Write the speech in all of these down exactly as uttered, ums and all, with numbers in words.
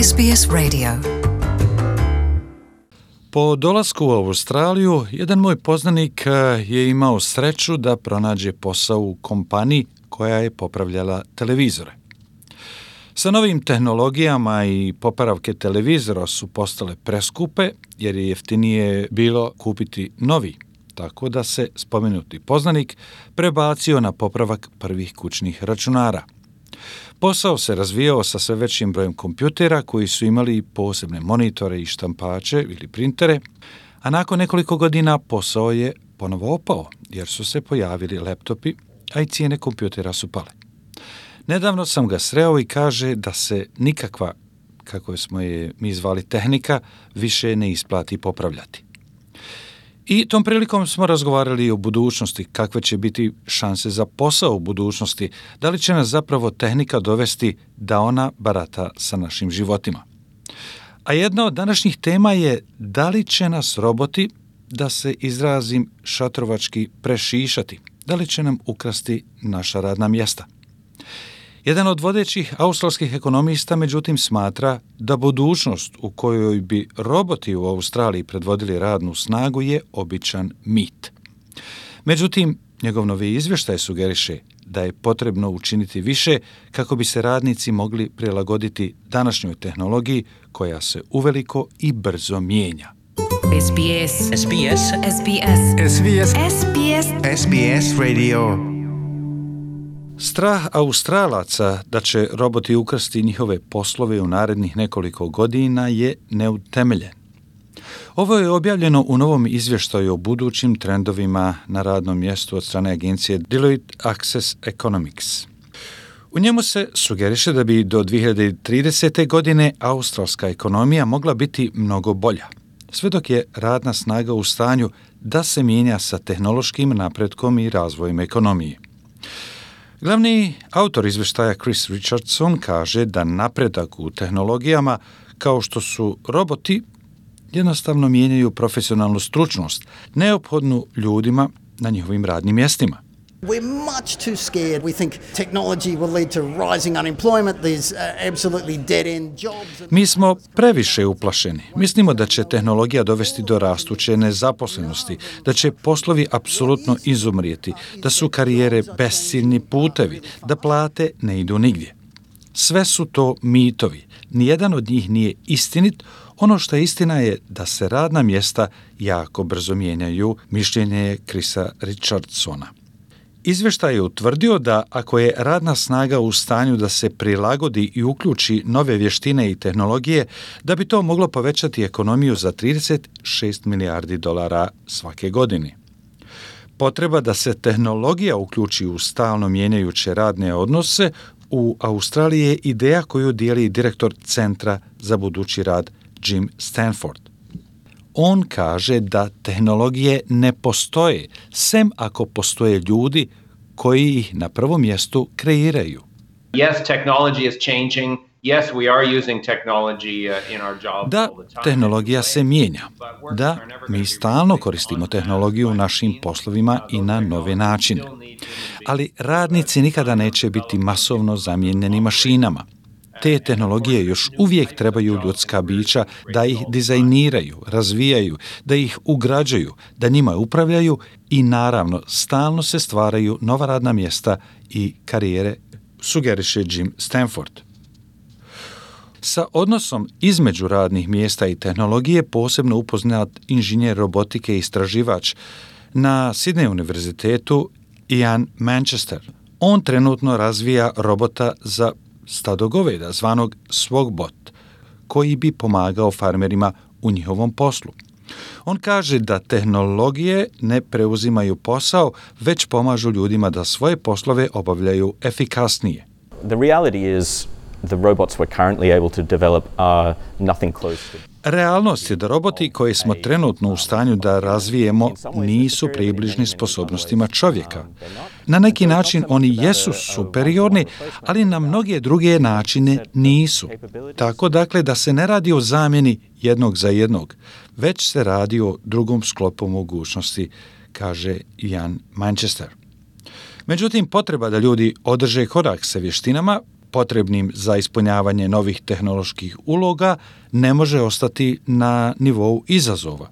S B S Radio. Po dolasku u Australiju, jedan moj poznanik je imao sreću da pronađe posao u kompaniji koja je popravljala televizore. Sa novim tehnologijama i popravke televizora su postale preskupe jer je jeftinije bilo kupiti novi, tako da se spomenuti poznanik prebacio na popravak prvih kućnih računara. Posao se razvijao sa sve većim brojem kompjutera koji su imali posebne monitore i štampače ili printere, a nakon nekoliko godina posao je ponovo opao jer su se pojavili laptopi, a i cijene kompjutera su pale. Nedavno sam ga sreo i kaže da se nikakva, kako smo je mi zvali tehnika, više ne isplati popravljati. I tom prilikom smo razgovarali o budućnosti, kakve će biti šanse za posao u budućnosti, da li će nas zapravo tehnika dovesti da ona barata sa našim životima. A jedna od današnjih tema je da li će nas roboti, da se izrazim šatrovački, prešišati, da li će nam ukrasti naša radna mjesta. Jedan od vodećih australskih ekonomista međutim smatra da budućnost u kojoj bi roboti u Australiji predvodili radnu snagu je običan mit. Međutim, njegov novi izvještaj sugeriše da je potrebno učiniti više kako bi se radnici mogli prilagoditi današnjoj tehnologiji koja se uveliko i brzo mijenja. S B S. S B S. S B S. S B S. S B S. S B S Radio. Strah Australaca da će roboti ukrasti njihove poslove u narednih nekoliko godina je neutemeljen. Ovo je objavljeno u novom izvještaju o budućim trendovima na radnom mjestu od strane agencije Deloitte Access Economics. U njemu se sugeriše da bi do dvije hiljade tridesete. godine australska ekonomija mogla biti mnogo bolja, sve dok je radna snaga u stanju da se mijenja sa tehnološkim napretkom i razvojem ekonomije. Glavni autor izvještaja Chris Richardson kaže da napredak u tehnologijama kao što su roboti jednostavno mijenjaju profesionalnu stručnost, neophodnu ljudima na njihovim radnim mjestima. We're much too scared. We think technology will lead to rising unemployment. There's uh, absolutely dead-end jobs. Mi smo previše uplašeni. Mislimo da će tehnologija dovesti do rastuće nezaposlenosti, da će poslovi apsolutno izumrijeti, da su karijere besciljni putevi, da plate ne idu nigdje. Sve su to mitovi. Nijedan od njih nije istinit. Ono što je istina je da se radna mjesta jako brzo mijenjaju, mišljenje je Chrisa Richardsona. Izvještaj je utvrdio da ako je radna snaga u stanju da se prilagodi i uključi nove vještine i tehnologije, da bi to moglo povećati ekonomiju za trideset šest milijardi dolara svake godine. Potreba da se tehnologija uključi u stalno mijenjajuće radne odnose u Australiji je ideja koju dijeli direktor Centra za budući rad Jim Stanford. On kaže da tehnologije ne postoje, sem ako postoje ljudi koji ih na prvom mjestu kreiraju. Yes, technology is changing. Yes, we are using technology in our jobs Da, all the time. tehnologija se mijenja. Da, mi stalno koristimo tehnologiju u našim poslovima i na nove načine. Ali radnici nikada neće biti masovno zamijenjeni mašinama. Te tehnologije još uvijek trebaju ljudska bića da ih dizajniraju, razvijaju, da ih ugrađuju, da njima upravljaju i naravno stalno se stvaraju nova radna mjesta i karijere, sugeriše Jim Stanford. Sa odnosom između radnih mjesta i tehnologije posebno upoznat inženjer robotike i istraživač na Sydney univerzitetu Ian Manchester. On trenutno razvija robota za stado goveda zvanog Swogbot, koji bi pomagao farmerima u njihovom poslu. On kaže da tehnologije ne preuzimaju posao, već pomažu ljudima da svoje poslove obavljaju efikasnije. The reality is the robots we're currently able to develop are nothing close to. Realnost je da roboti koje smo trenutno u stanju da razvijemo nisu približni sposobnostima čovjeka. Na neki način oni jesu superiorni, ali na mnoge druge načine nisu. Tako dakle da se ne radi o zamjeni jednog za jednog, već se radi o drugom sklopu mogućnosti, kaže Ian Manchester. Međutim, potreba da ljudi održe korak sa vještinama potrebnim za ispunjavanje novih tehnoloških uloga ne može ostati na nivou izazova.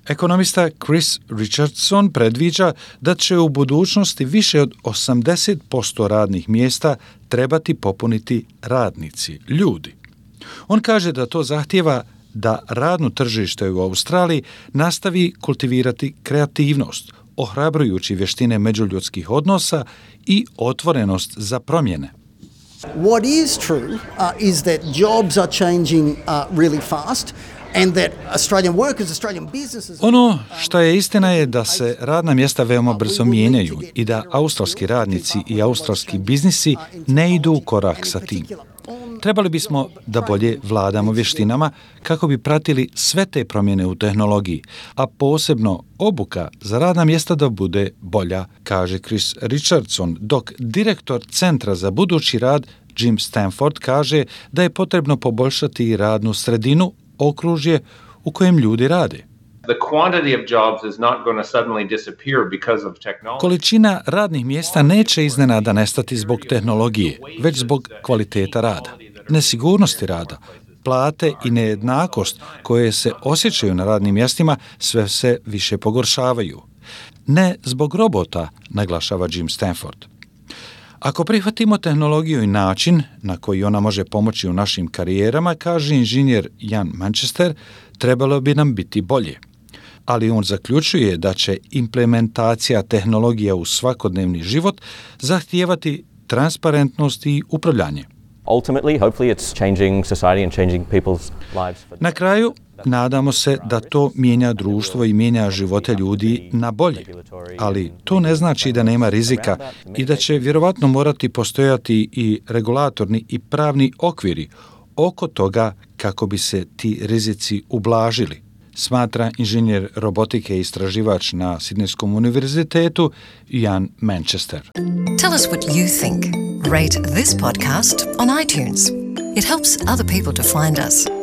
Ekonomista Chris Richardson predviđa da će u budućnosti više od osamdeset posto radnih mjesta trebati popuniti radnici, ljudi. On kaže da to zahtijeva da radno tržište u Australiji nastavi kultivirati kreativnost, ohrabrujući vještine međuljudskih odnosa i otvorenost za promjene. What is true uh, is that jobs are changing uh, really fast. And that Australian workers, Australian businesses... Ono što je istina je da se radna mjesta veoma brzo mijenjaju i da australski radnici i australski biznisi ne idu u korak sa tim. Trebali bismo da bolje vladamo vještinama kako bi pratili sve te promjene u tehnologiji, a posebno obuka za radna mjesta da bude bolja, kaže Chris Richardson, dok direktor Centra za budući rad Jim Stanford kaže da je potrebno poboljšati radnu sredinu, okružje u kojem ljudi rade. The quantity of jobs is not going to suddenly disappear because of technology. Količina radnih mjesta neće iznenada nestati zbog tehnologije, već zbog kvaliteta rada, nesigurnosti rada, plate i nejednakost koje se osjećaju na radnim mjestima sve se više pogoršavaju. Ne zbog robota, naglašava Jim Stanford. Ako prihvatimo tehnologiju i način na koji ona može pomoći u našim karijerama, kaže inženjer Ian Manchester, trebalo bi nam biti bolje. Ali on zaključuje da će implementacija tehnologija u svakodnevni život zahtijevati transparentnost i upravljanje. Ultimately, hopefully it's changing society and changing people's lives. Na kraju, nadamo se da to mijenja društvo i mijenja živote ljudi na bolje, ali to ne znači da nema rizika i da će vjerovatno morati postojati i regulatorni i pravni okviri oko toga kako bi se ti rizici ublažili, smatra inženjer robotike i istraživač na Sidnejskom univerzitetu Ian Manchester. Tell us what you think. Rate this podcast on iTunes. It helps other people to find us.